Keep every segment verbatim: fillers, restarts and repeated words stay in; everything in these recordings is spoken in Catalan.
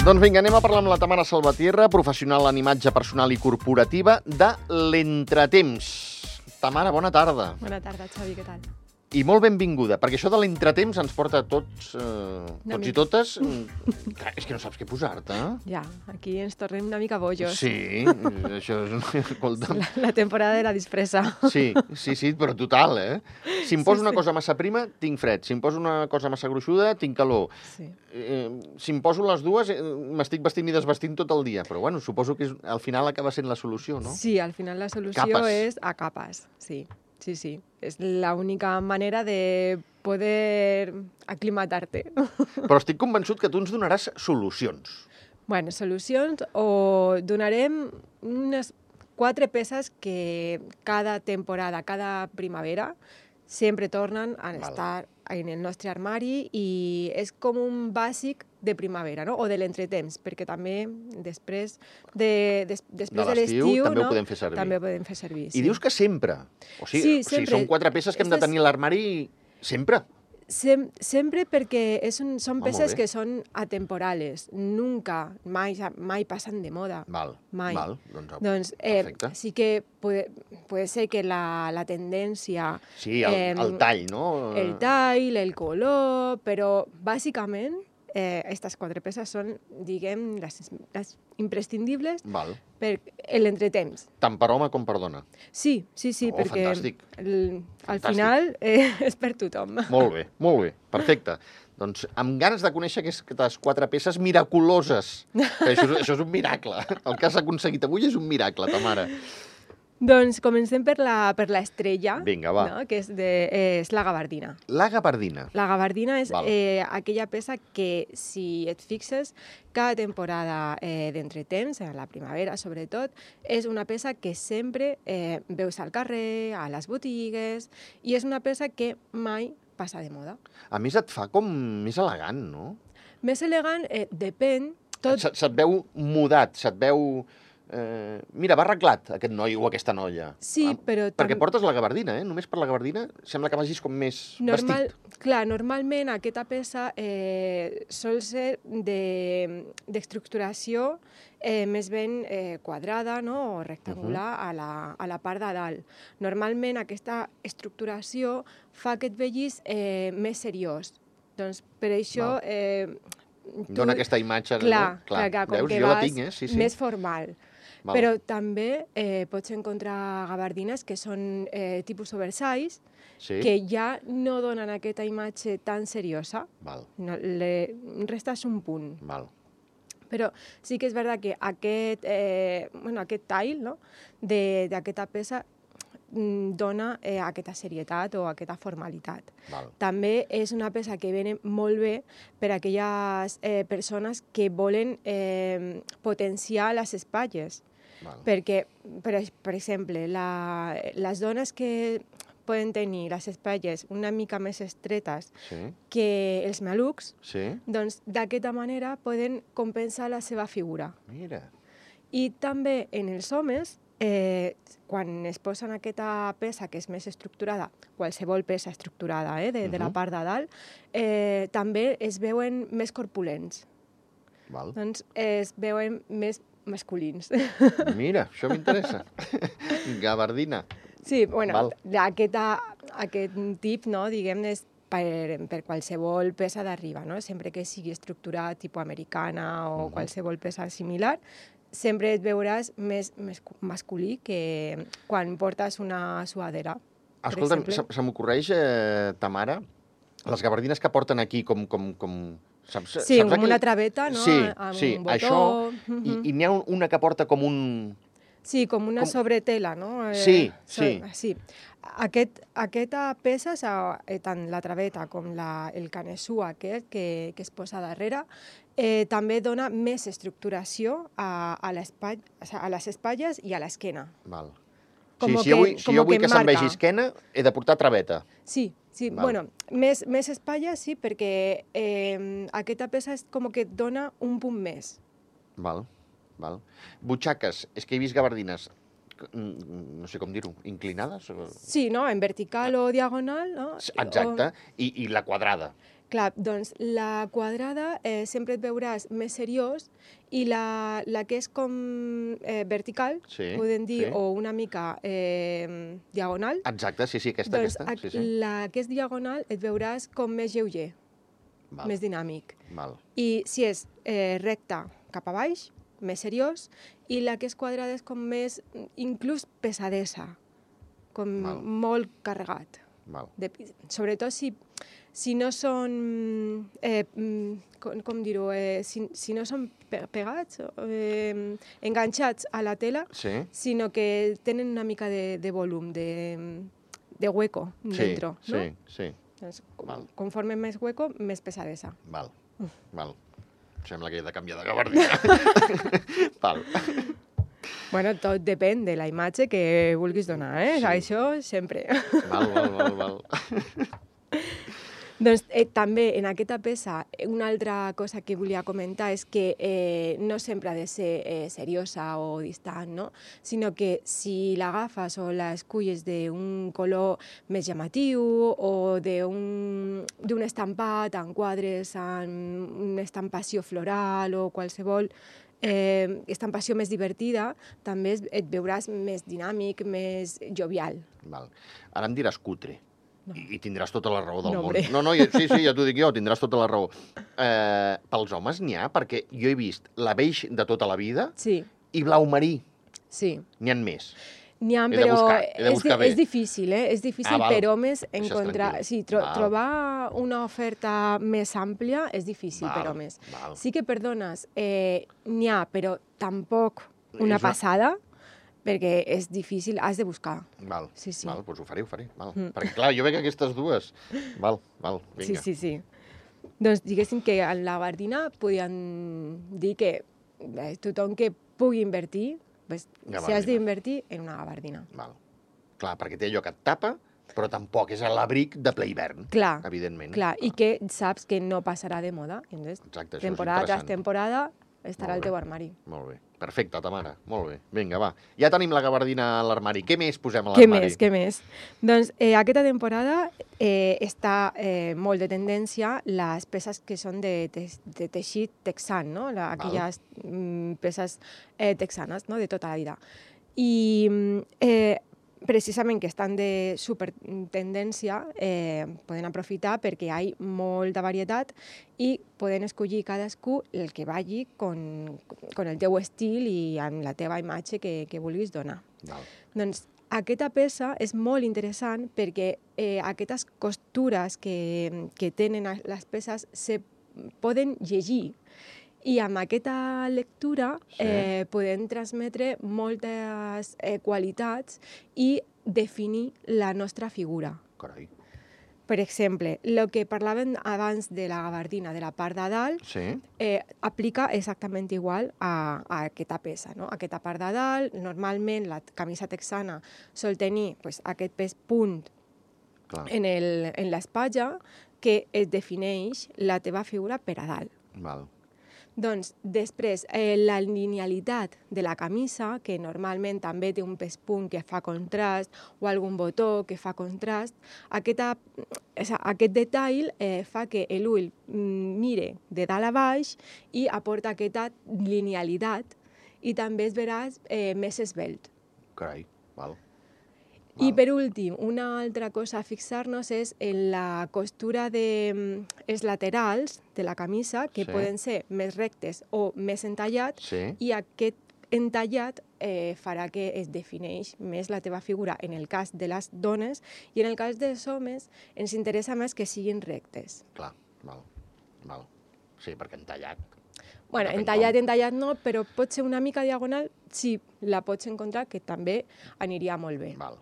Doncs vinga, anem a parlar amb la Tamara Salvatierra, professional en imatge personal i corporativa de l'entretemps. Tamara, bona tarda. Bona tarda, Xavi, què tal? I molt benvinguda, perquè això de l'entretemps ens porta a tots, eh, tots i totes... Clar, és que no saps què posar-te. Ja, aquí ens tornem una mica bojos. Sí, això és... Escolta. La, la temporada de la disfressa. Sí, sí, sí, però total, eh? Si em poso Sí, una sí. cosa massa prima, tinc fred. Si em poso una cosa massa gruixuda, tinc calor. Sí. Eh, si em poso les dues, eh, m'estic vestint i desvestint tot el dia. Però, bueno, suposo que és, al final acaba sent la solució, no? Sí, al final la solució Capes. és a capes, sí. Sí, sí. És la única manera de poder aclimatar-te. Però estic convençut que tu ens donaràs solucions. Bueno, solucions o donarem unes quatre peces que cada temporada, cada primavera, sempre tornen a Val. estar en el nostre armari i és com un bàsic de primavera, no? O de l'entretemps, perquè també després de, des, després De de l'estiu l'estiu també ho no? podem fer servir. També ho podem fer servir, I dius que sempre. O sigui, Sí, o sigui sempre. són quatre peces que hem de Estes- tenir a l'armari sempre. Sem sempre perquè és un, són Ah, molt peces bé. que són atemporales, nunca, mai, mai passen de moda. Val, Mai. val. Doncs, Doncs eh, perfecte. sí que puede, puede ser que la, la tendència... Sí, el, em, el tall, no? El tall, el color, però bàsicament eh, aquestes quatre peces són, diguem, les, les imprescindibles Val. per l'entretemps. Tant per home com per dona. Sí, sí, sí, Oh, perquè fantàstic. el, al Fantàstic. final eh, és per tothom. Molt bé, molt bé, perfecte. Doncs amb ganes de conèixer aquestes quatre peces miraculoses. Que això, és- això és un miracle. El que has aconseguit avui és un miracle, Tamara. Doncs comencem per la, per l'estrella, Vinga, va. no? Que és, de, és la gabardina. La gabardina. La gabardina és Val. eh, aquella peça que, si et fixes, cada temporada eh, d'entretemps, a la primavera sobretot, és una peça que sempre eh, veus al carrer, a les botigues, i és una peça que mai passa de moda. A més, et fa com més elegant, no? Més elegant, eh, depèn, tot... Se, se't veu mudat, se't veu... Eh, mira, va arreglat aquest noi o aquesta noia. Sí, Ah, però... Perquè tam- portes la gabardina, eh? Només per la gabardina sembla que vagis com més Normal, vestit. clar, normalment aquesta peça eh, sol ser de- d'estructuració eh, més ben eh, quadrada, no? O rectangular a, la, a la part de dalt. Normalment aquesta estructuració fa que et vegis eh, més seriós. Doncs per això... Eh, tu- Dona aquesta imatge, clar, no? clar, clar, com Veus? que Jo la vas tinc, eh? Sí, sí. més formal. Val. Però també eh, pots encontrar gabardines que són eh, tipus oversize, Sí? que ja no donen aquesta imatge tan seriosa, Val, no, le restes un punt. val. Però sí que és veritat que aquest, eh, bueno, aquest tall, no? de- d'aquesta peça mm, dona eh, aquesta serietat o aquesta formalitat. Val. També és una peça que viene molt bé per a aquelles eh, persones que volen eh, potenciar les espatlles. Val. Perquè, per, ex- per exemple, la, les dones que poden tenir les espatlles una mica més estretes Sí, que els malucs, sí. doncs d'aquesta manera poden compensar la seva figura. Mira. I també en els homes, eh, quan es posen aquesta peça que és més estructurada, qualsevol peça estructurada eh, de, de la Mhm. part de dalt, eh, també es veuen més corpulents, Val. doncs es veuen més masculins. Mira, això m'interessa. Gabardina. Sí, bueno, Val. aquesta, aquest tip, no, diguem, és per, per qualsevol peça d'arriba, no? Sempre que sigui estructura tipus americana o Mhm. qualsevol peça similar, sempre et veuràs més, més masculí que quan portes una suadera. per Escolta'm, exemple. se, se m'ocorreix, eh, Tamara, les gabardines que porten aquí com... com, com saps, Sí, saps com aquell- una traveta, no? Sí, Amb sí, un botó. això, Mhm. i, i n'hi ha un- una que porta com un... Sí, com una Com- sobretela, no? Eh, Sí, so- sí. sí. Aquest, aquesta peça, s'ha- eh, tant la traveta com la, el canesú aquest que, que es posa darrere, eh, també dona més estructuració a, a, l'espatll, a les espatlles i a l'esquena. Val. Como sí, si jo que- vull, si como jo vull que que, se'm marca. vegi esquena, he de portar traveta. Sí, sí, Val. bueno, més, més espatlles sí, perquè eh, aquesta peça és com que et dona un punt més. Val, val. Butxaques, és que he vist gabardines, mm, no sé com dir-ho, inclinades? o- Sí, no? En vertical o diagonal, no? Exacte, i, i la quadrada. Clar, doncs la quadrada eh, sempre et veuràs més seriós i la, la que és com eh, vertical, Sí, podem dir, sí. o una mica eh, diagonal, Exacte, sí, sí, aquesta, doncs aquesta. ac- Sí, sí. la que és diagonal et veuràs com més lleuger, Val, més dinàmic. val, I si és eh, recta cap a baix, més seriós, i la que és quadrada és com més, inclús pesadesa, com Val. molt carregat. val. De, sobretot si, si no són, eh, mm, com, com dir-ho, eh, si, si no són pe- pegats, eh, enganxats a la tela, Sí, sinó que tenen una mica de, de volum, de, de hueco sí, dentro, sí, no? sí. Doncs, Val. conforme més hueco, més pesadesa. Val, val. Sembla que he de canviar de gabardina. Val. Bueno, tot depèn de la imatge que vulguis donar, eh? Sí. Això sempre. Val, val, val, val. Doncs eh, també en aquesta peça una altra cosa que volia comentar és que eh, no sempre ha de ser eh, seriosa o distant, no? Sinó que si l'agafes o l'esculles d'un color més llamatiu o d'un d'un estampat en quadres, en una estampació floral o qualsevol eh, estampació més divertida, també es- et veuràs més dinàmic, més jovial. val. Ara em diràs cutre. I, I tindràs tota la raó del No, món. hombre. No, no, ja, sí, sí, ja t'ho dic jo, tindràs tota la raó. Eh, pels homes n'hi ha, perquè jo he vist la beix de tota la vida Sí, i blau marí. sí. N'hi ha més. N'hi ha, He de però buscar, he de és, buscar di- bé. és difícil, eh? És difícil Ah, val. per homes Deixes encontrar... tranquil. Sí, tro Val. trobar una oferta més àmplia és difícil Val, per homes. val. Sí que, perdones, eh, n'hi ha, però tampoc És una una- passada, perquè és difícil, has de buscar. Val, Sí, sí. val, doncs ho faré, ho faré. Val. Mm. Perquè, clar, jo veig aquestes dues. Val, val, Sí, vinga. sí, sí. Doncs diguéssim que en la gabardina podien dir que eh, tothom que pugui invertir, pues, si Gabardina. has d'invertir en una gabardina. Val. Clar, perquè té allò que et tapa, però tampoc és l'abric de ple hivern, Clar, evidentment. clar, i que saps que no passarà de moda. I Entonces, Exacte, això temporada és tras interessant. temporada estarà Molt al bé. teu armari. Molt bé. Perfecte, Tamara. Molt bé. Vinga, va. Ja tenim la gabardina a l'armari. Què més posem a Què l'armari? més, què més? Doncs eh, aquesta temporada eh, està eh, molt de tendència les peces que són de, te de teixit texan, no? La, aquelles mm, peces eh, texanes, no? De tota la vida. I mm, eh, precisament que estan de super tendència, eh, poden aprofitar perquè hi ha molta varietat i poden escollir cadascú el que vagi con, con el teu estil i amb la teva imatge que, que vulguis donar. Val. Doncs aquesta peça és molt interessant perquè eh, aquestes costures que, que tenen a- les peces se poden llegir i amb aquesta lectura Sí. eh, podem transmetre moltes eh, qualitats i definir la nostra figura. Carai. Per exemple, el que parlàvem abans de la gabardina, de la part de dalt, Sí? eh, aplica exactament igual a, a aquesta peça. No? Aquesta part de dalt, normalment la camisa texana sol tenir pues, aquest pes punt Clar. en el- en l'espatlla que es defineix la teva figura per a dalt. Val. Doncs després, eh, la linealitat de la camisa, que normalment també té un pes punt que fa contrast o algun botó que fa contrast, aquesta, és a- aquest detall eh, fa que l'ull mm, mire de dalt a baix i aporta aquesta linealitat i també es veràs eh, més esvelt. Carai. Val. I Val. per últim, una altra cosa a fixar-nos és en la costura de mm, els laterals de la camisa, que Sí. poden ser més rectes o més entallats, Sí? i aquest entallat eh, farà que es defineix més la teva figura en el cas de les dones, i en el cas dels homes ens interessa més que siguin rectes. Clar. Val. Val. Sí, perquè entallat. Bueno, Depèn entallat, com. entallat no, però pot ser una mica diagonal, sí, la pots encontrar, que també aniria molt bé. Val.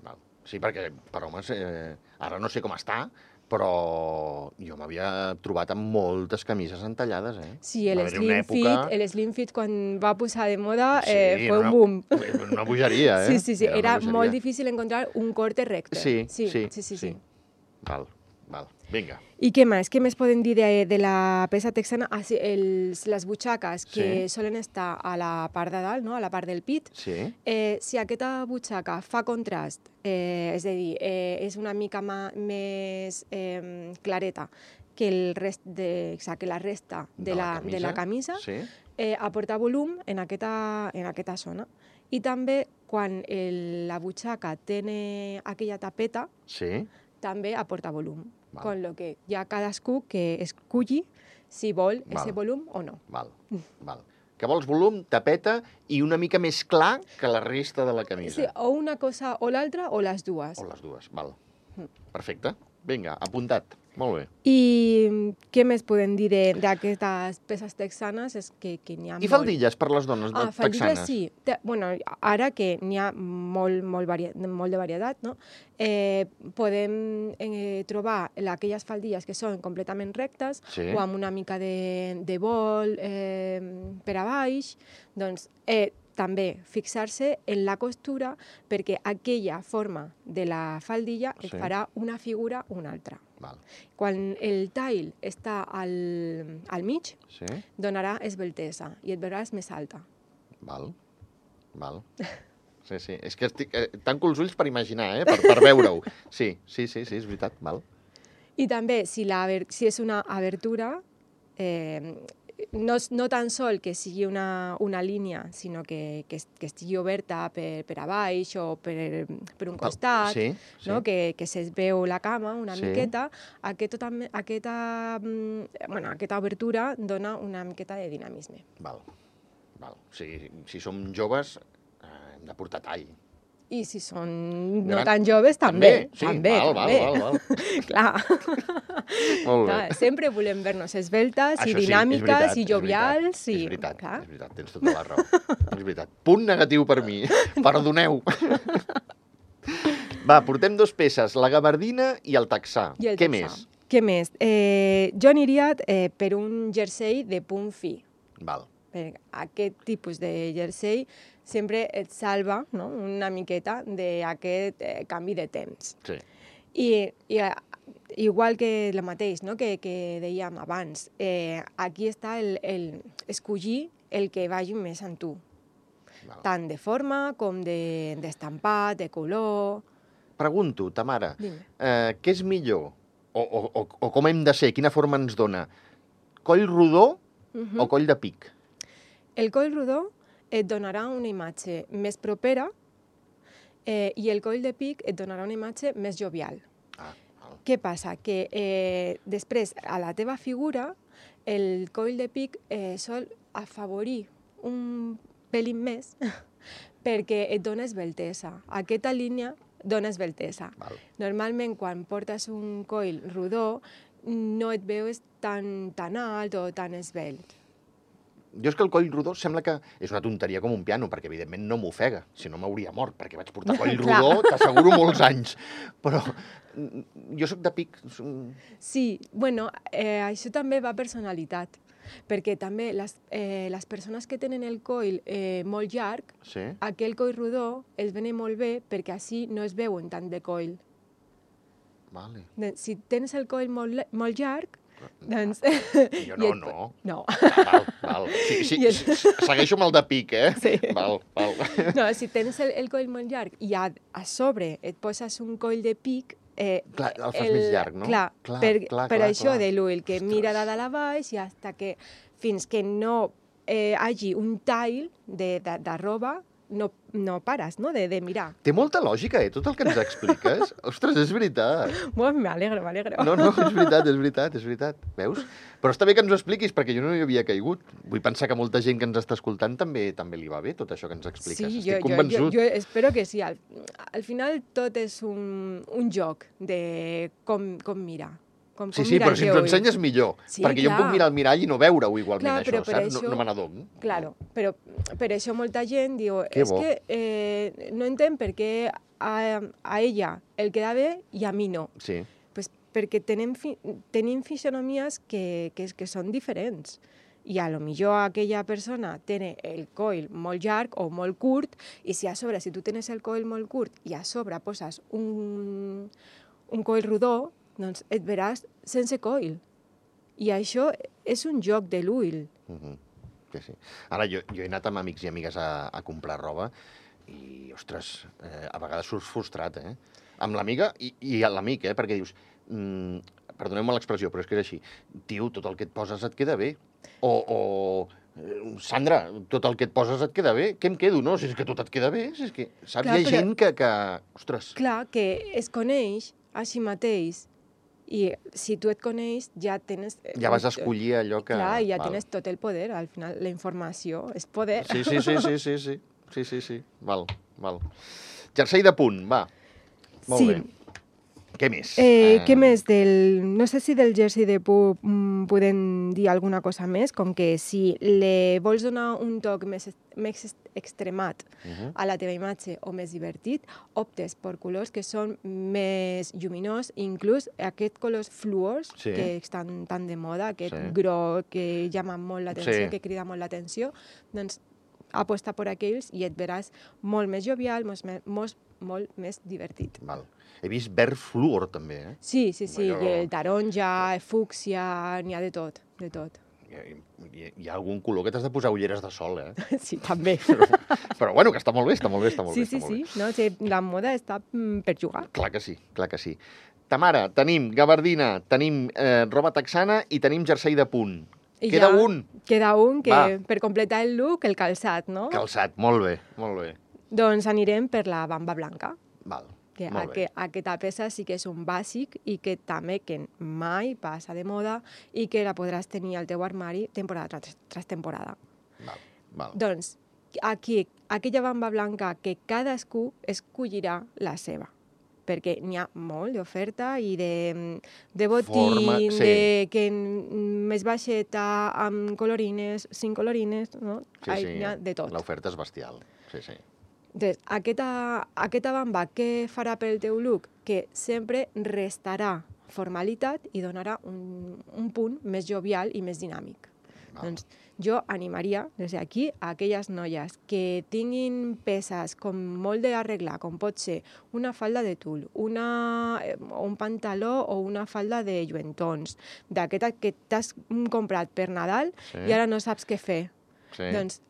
Val. Sí, perquè per homes, eh, ara no sé com està, però jo m'havia trobat amb moltes camises entallades, eh? Sí, el Va haver-hi slim, una època- fit, el slim fit quan va posar de moda Sí, eh, fue era un boom. Una, una bogeria, eh? Sí, sí, sí, una era bogeria. molt difícil encontrar un corte recte. Sí, sí, sí, sí, sí, sí. Val, val. Vinga. I què més? Què més podem dir de, de la peça texana? Ah, sí, els, les butxaques que Sí. solen estar a la part de dalt, no? A la part del pit. Sí? Eh, si aquesta butxaca fa contrast, eh, és a dir, eh, és una mica ma, més eh, clareta que, el rest de, o sigui, que la resta de, De la la, de la camisa Sí. eh, aporta volum en aquesta, en aquesta zona. I també, quan el, la butxaca té aquella tapeta, Sí. també aporta volum. Val. Con lo que hi ha cadascú que esculli si vol Val. ese volum o no. Val, val. Que vols volum, tapeta i una mica més clar que la resta de la camisa. Sí, o una cosa o l'altra o les dues. O les dues, val. Perfecte. Vinga, apuntat. Molt bé. I què més podem dir de- d'aquestes peces texanes? És que, que n'hi ha I molt. faldilles per les dones Ah, faldilles texanes? sí. Te- Bueno, ara que n'hi ha molt, molt, varia, molt de varietat, no? eh, podem eh, trobar aquelles faldilles que són completament rectes Sí. o amb una mica de, de vol eh, per a baix. Doncs eh, també fixar-se en la costura perquè aquella forma de la faldilla et Sí. farà una figura o una altra. Val. Quan el tall està al, al mig, Sí. donarà esveltesa i et veuràs més alta. Val. Val. Sí, sí. És que estic... Eh, tanco els ulls per imaginar, eh? Per, per veure-ho. Sí, sí, sí, sí, és veritat. Val. I també, si, la, aber- si és una abertura, eh, no, és- no tan sol que sigui una, una línia, sinó que, que, es- que estigui oberta per, per a baix o per, per un Pel- costat, Sí, sí. no? que, que se'ls veu la cama una Sí. miqueta, aquesta, també- aquesta, mm, bueno, aquesta obertura dona una miqueta de dinamisme. Val. Val. O sigui, si som joves, eh, hem de portar tall. I si són no Gran- tan joves, també. Sí, també, val, també. val, val, val. Clar. Molt bé. Clar, sempre volem ver-nos esveltes Això i sí, és dinàmiques veritat, i és jovials. veritat, i... És veritat, clar. és veritat, tens tota la raó. És veritat. Punt negatiu per mi. Perdoneu. Va, portem dos peces, la gabardina i el texà. I el Què texà. més? Què més? Eh, jo aniria eh, per un jersei de punt fi. Val. Per aquest tipus de jersei sempre et salva, no?, una miqueta d'aquest eh, canvi de temps. Sí. I, i eh, igual que el mateix, no?, que, que dèiem abans, eh, aquí està el, el escollir el que vagi més amb tu, Val. tant de forma com de- d'estampat, de, de color... Pregunto, Tamara, Dime. eh, què és millor? O, o, o, o com hem de ser? Quina forma ens dona? Coll rodó Mhm. o coll de pic? El coll rodó et donarà una imatge més propera eh, i el coll de pic et donarà una imatge més jovial. Ah, val. Què passa? Que eh, després, a la teva figura, el coll de pic eh, sol afavorir un pelín més perquè et dona esveltesa. Aquesta línia dona esveltesa. Val. Normalment, quan portes un coll rodó, no et veus tan, tan alt o tan esvelt. Jo és que el coll rodó sembla que és una tonteria com un piano, perquè evidentment no m'ofega, si no m'hauria mort, perquè vaig portar coll Clar. rodó, t'asseguro, molts anys. Però mm, jo sóc de pic. som- Sí, bueno, eh, això també va a personalitat, perquè també les, eh, les persones que tenen el coll eh, molt llarg, Sí? aquell coll rodó els vene molt bé perquè així no es veuen tant de coll. Vale. Doncs, si tens el coll molt, le- molt llarg, doncs... Jo i no, et- no. No. Val, val. Sí, sí, I et- s- segueixo amb el de pic, eh? Sí. Val, val. No, si tens el, el coll molt llarg i a, a sobre et poses un coll de pic, eh, Clar, el fas més llarg, no? Clar, Clar, per, clar, per clar, això clar. de l'ull, que Ostres. mira de dalt a baix i hasta que, fins que no eh, hagi un tall de, de, de roba, no, no pares, no?, de, de mirar. Té molta lògica, eh, tot el que ens expliques. Ostres, és veritat. Bueno, m'alegro, m'alegro. No, no, és veritat, és veritat, és veritat. Veus? Però està bé que ens ho expliquis, perquè jo no hi havia caigut. Vull pensar que molta gent que ens està escoltant també també li va bé tot això que ens expliques. Sí, Estic jo, jo, jo, convençut. jo espero que sí. Al, al final tot és un, un joc de com, com mirar. Com, Sí, com sí, mirar però si el ens teu ho ull. ensenyes millor. Sí, perquè jo em puc clar. mirar al mirall i no veure-ho igualment, Clar, això, però per saps? això- No, no me n'adono. Claro, però per això molta gent diu Que és bo. que eh, no entenc per què a, a ella el queda bé i a mi no. Sí, Pues perquè tenim, fi, tenim fisonomies que, que, que són diferents. I a lo millor aquella persona té el coll molt llarg o molt curt i si a sobre, si tu tens el coll molt curt i a sobre poses un, un coll rodó, doncs et veràs sense coll. I això és un joc de l'ull. mhm, sí, sí. Ara, jo, jo he anat amb amics i amigues a, a comprar roba i, ostres, eh, a vegades surts frustrat, eh? Amb l'amiga i, i l'amic, eh? Perquè dius, mm, perdoneu-me l'expressió, però és que és així. Tio, tot el que et poses et queda bé. O, o Sandra, tot el que et poses et queda bé. Què em quedo, no? Si és que tot et queda bé, si és que... Saps? Clar, Hi ha però- gent que, que... Ostres, Clar, que es coneix a si mateix i si tu et coneix ja tens... ja vas a escollir allò que... Clar, i ja Val. tens tot el poder. Al final, la informació és poder. Sí, sí, sí, sí, sí, sí. Sí, sí, sí. Val, val. Jersei de punt, va. Molt Sí. bé. Què més? Eh, què més? Del, no sé si del jersei de pup mm, podem dir alguna cosa més, com que si le vols donar un toc més, est- més est- extremat Uh -huh. a la teva imatge o més divertit, optes per colors que són més lluminós, inclús aquests colors fluors Sí. que estan tan de moda, aquest Sí. groc que llama molt l'atenció, Sí. que crida molt l'atenció, doncs aposta per aquells i et veràs molt més jovial, molt, me- molt, molt més divertit. Val. He vist verd fluor, també, eh? Sí, sí, sí, Allò- i el taronja, el fúcsia, n'hi ha de tot, de tot. Hi, hi, hi ha algun color que t'has de posar ulleres de sol, eh? Sí, també. Però, però bueno, que està molt bé, està molt bé, està molt Sí, bé. sí, està molt sí, bé. no? Sí, la moda està mm, per jugar. Clar que sí, clar que sí. Tamara, tenim gabardina, tenim eh, roba texana i tenim jersei de punt. I Queda ja un. Queda un que, Va. per completar el look, el calçat, no? Calçat, molt bé, molt bé. Doncs anirem per la bamba blanca, Val, que molt aqu bé. aquesta peça sí que és un bàsic i que també que mai passa de moda i que la podràs tenir al teu armari temporada tras, tras temporada. Val, val. Doncs aquí, aquella bamba blanca que cadascú escollirà la seva, perquè n'hi ha molt d'oferta i de, de botín, Forma, sí. de que n- més baixeta, amb colorines, sin colorines, no? Sí, Ai, sí, n'hi ha de tot. l'oferta és bestial. Sí, sí. Doncs aquesta, aquesta bamba què farà pel teu look? Que sempre restarà formalitat i donarà un, un punt més jovial i més dinàmic. Val. Doncs jo animaria des d'aquí a aquelles noies que tinguin peces com molt d'arreglar, com pot ser una falda de tul, una, eh, un pantaló o una falda de lluentons, d'aquesta que t'has mm, comprat per Nadal Sí. i ara no saps què fer. Sí. Doncs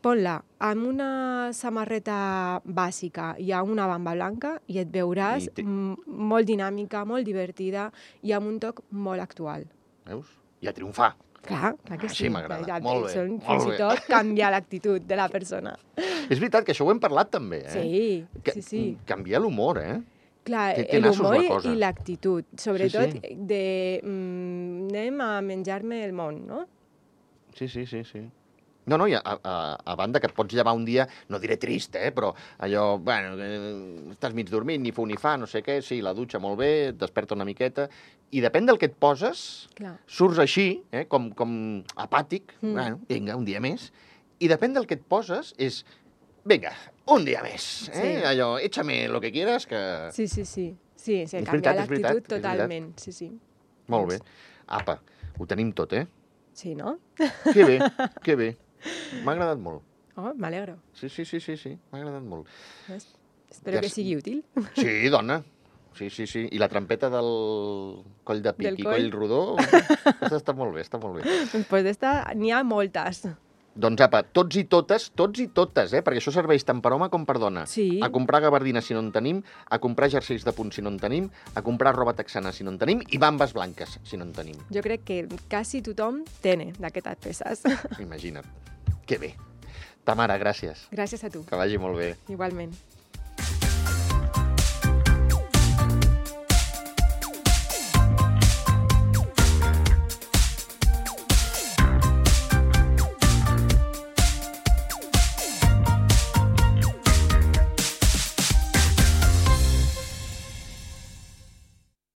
pon-la amb una samarreta bàsica i amb una bamba blanca i et veuràs I té- m- molt dinàmica, molt divertida i amb un toc molt actual. Veus? I a triomfar. Clar, clar que Així sí. m'agrada. Ja- Molt bé, Són molt fins bé. i tot canviar l'actitud de la persona. És veritat que això ho hem parlat també, eh? Sí, Que, sí, sí. Canviar l'humor, eh? Clar, té- té nassos l'humor la cosa. i l'actitud. Sobretot Sí, sí. de mm, anem a menjar-me el món, no? Sí, sí, sí, sí. No, no, i a, a, a banda que et pots llevar un dia, no diré trist, eh, però allò, bueno, eh, estàs mig dormint, ni fu ni fa, no sé què, sí, la dutxa molt bé, et desperta una miqueta, i depèn del que et poses, Clar. surts així, eh, com, com apàtic, Mm. bueno, vinga, un dia més, i depèn del que et poses és, vinga, un dia més, eh, Sí. allò, échame lo que quieras, que... Sí, sí, sí. Sí, sí, És canviar veritat, és veritat, l'actitud és veritat. totalment. Sí, sí. Molt bé. Apa, ho tenim tot, eh? Sí, no? Que bé, que bé. M'ha agradat molt. Oh, m'alegro. Sí, sí, sí, sí, sí, m'ha agradat molt. Es- Espero Ja que s- sigui útil. Sí, dona. Sí, sí, sí. I la trampeta del coll de pic Del i coll. coll rodó, aquesta està molt bé, està molt bé. Després d'esta n'hi ha moltes. Doncs apa, tots i totes, tots i totes, eh? Perquè això serveix tant per home com per dona. Sí. A comprar gabardina si no en tenim, a comprar jerseis de punt si no en tenim, a comprar roba texana si no en tenim i bambes blanques si no en tenim. Jo crec que quasi tothom té d'aquestes peces. Imagina't. Que bé. Tamara, gràcies. Gràcies a tu. Que vagi molt bé. Igualment.